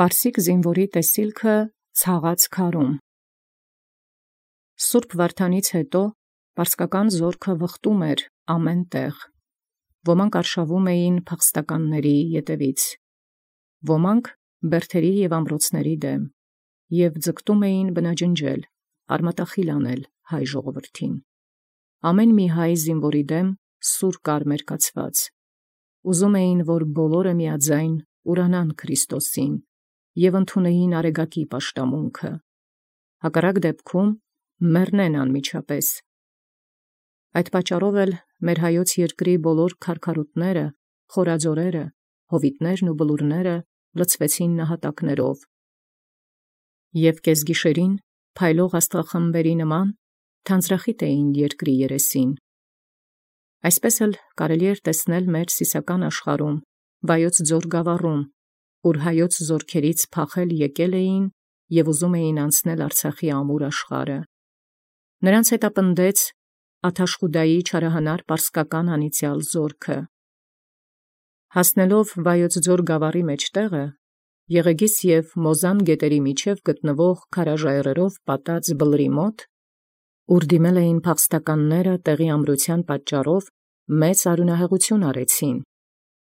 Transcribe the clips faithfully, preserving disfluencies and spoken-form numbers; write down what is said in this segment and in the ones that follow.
Պարսիկ զինվորի տեսիլքը ցաղած քարում։ Սուրբ Վարդանից հետո պարսկական զորքը վխտում էր ամեն տեղ։ Ոմանք արշավում էին փախստականների ետևից, ոմանք բերդերի և ամրոցների դեմ, և ձգտում էին բնաջնջել, արմատախիլ անել հայ ժողովրդին։ Ամեն մի հայ զինվորի դեմ սուր կար մերկացված, ուզում էին, որ բոլորը միաձայն ուրանան Քրիստոսին և ընդունեին արեգակի պաշտամունքը, հակառակ դեպքում մեռնեն անմիջապես։ Այդ պատճառով էլ մեր հայոց երկրի բոլոր քարքարուտները, խորաձորերը, հովիտներն ու բլուրները լցվեցին նահատակներով, և կեսգիշերին փայլող աստղախմբերի նման թանձրախիտ էին երկրի երեսին։ Այսպես էլ կարելի էր տեսնել մեր սիսական աշխարհում, Վայոց ձոր գավառում, ուր հայոց զորքերից փախել եկել էին և ուզում էին անցնել Արցախի ամուր աշխարհը։ Նրանց հետապնդեց Աթաշխուդայի չարահանար պարսկական անիծյալ զորքը։ Հասնելով Վայոց ձոր գավառի մեջտեղը, Եղեգիս և Մոզան գետերի միջև գտնվող քարաժայռերով պատած բլրի մոտ, ուր դիմել էին փախստականները տեղի ամրության պատճառով, մեծ արյունահեղություն արեցին։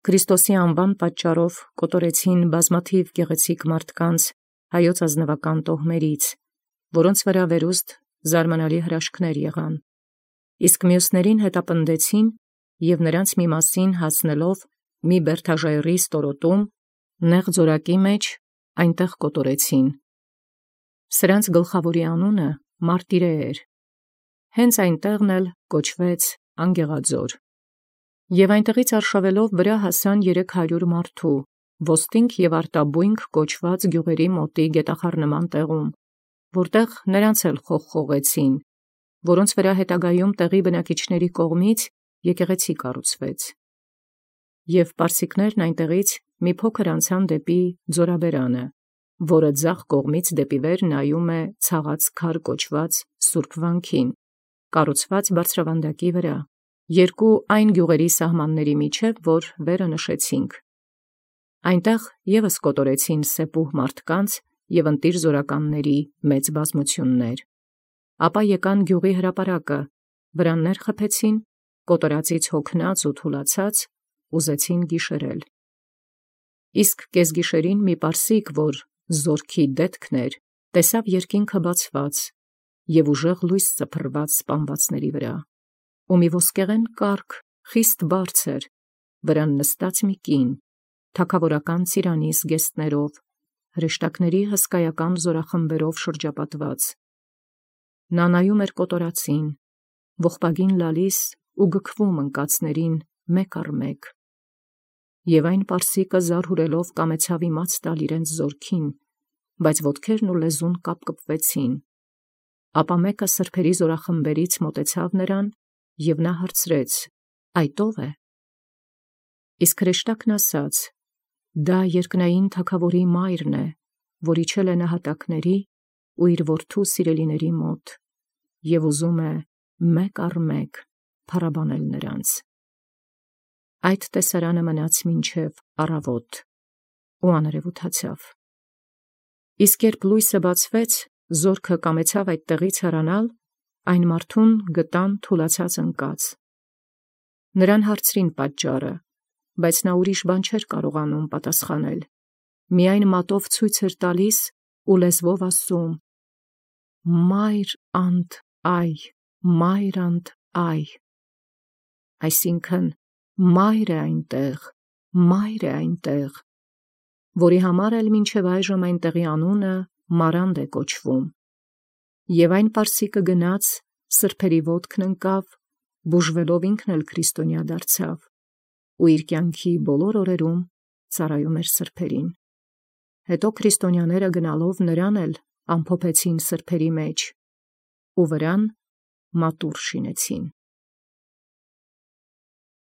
Քրիստոսի անվան պատճառով կոտորեցին բազմաթիվ գեղեցիկ մարդկանց հայոց ազնվական տոհմերից, որոնց վրա վերուստ զարմանալի հրաշքներ եղան, իսկ մյուսներին հետապնդեցին և նրանց մի մասին հասնելով մի բերդաժայռի ստորոտում, նեղ ձորակի մեջ այնտեղ կոտորեցին։ Սրանց գլխավորի անունը Մարտիրե էր, հենց այնտեղն էլ կոչվեց Անգեղաձոր։ Եւ այնտեղից արշավելով վրա հասան երեք հարյուր մարդու, ոստնք և արտաբույնք կոչված գյուղերի մոտի գետախառնման տեղում, որտեղ նրանց էլ խողխողեցին, որոնց վրա հետագայում տեղի բնակիչների կողմից եկեղեցի կառուցվեց։ Եվ պարսիկներն այնտեղից մի փոքր անցան դեպի Ձորաբերանը, որը ձախ կողմից դեպի վեր նայում է Ցաղած քար կոչված սուրբ վանքին, կառուցված բարձրավանդակի վրա, երկու այն գյուղերի սահմանների միջև, որ վերը նշեցինք։ Այնտեղ ևս կոտորեցին սեպուհ մարդկանց և ընտիր զորականների մեծ բազմություններ։ Ապա եկան գյուղի հրապարակը, վրաններ խփեցին, կոտորածից հոգնած ու թուլացած, ուզեցին գիշերել։ Իսկ կեսգիշերին մի պարսիկ, որ զորքի դետքն էր, տեսավ երկինքը բացված և ուժեղ լույս սփռված սպանվածների վրա, ու մի ոսկեղեն կառք խիստ բարձր, վրան նստած մի կին, թագավորական ծիրանի զգեստներով, հրեշտակների հսկայական զորախմբերով շրջապատված։ Նա նայում էր կոտորածին, ողբագին լալիս ու գքվում ընկածներին մեկ առ մեկ։ Եվ այն պարսիկը զարհուրելով կամեցավ իմաց տալ իրենց զորքին, բայց ոտքերն ու լեզուն կապկպվեցին։ Ապա մեկը սրբերի զորախմբերից մոտեցավ նրան, և նա հարցրեց. «Այդ ո՞վ է»։ Իսկ հրեշտակն ասաց. «Դա երկնային թագավորի մայրն է, որ իջել է նահատակների ու իր որդու սիրելիների մոտ, և ուզում է մեկ առ մեկ փառաբանել նրանց»։ Այդ տեսարանը մնաց մինչև առավոտ ու աներևութացավ։ Իսկ երբ լույսը բացվեց, զորքը կամեցավ այդ տեղից հեռանալ, այն մարդուն գտան թուլացած ընկած։ Նրան հարցրին պատճառը, բայց նա ուրիշ բան չէր կարողանում պատասխանել, միայն մատով ցույց էր տալիս ու լեզվով ասում. «Մայր անդ այ, մայր անդ այ», այսինքն մայր է այնտեղ, մայր է այնտեղ, որի համար էլ մինչև այժմ այնտեղի անունը Մարանդ է կոչվում։ Եվ այն պարսիկը գնաց, սրբերի ոտքն ընկավ, բուժվելով ինքն էլ քրիստոնյա դարձավ ու իր կյանքի բոլոր օրերում ծառայում էր սրբերին։ Հետո քրիստոնյաները գնալով նրան էլ ամփոփեցին սրբերի մեջ ու վրան մատուռ շինեցին։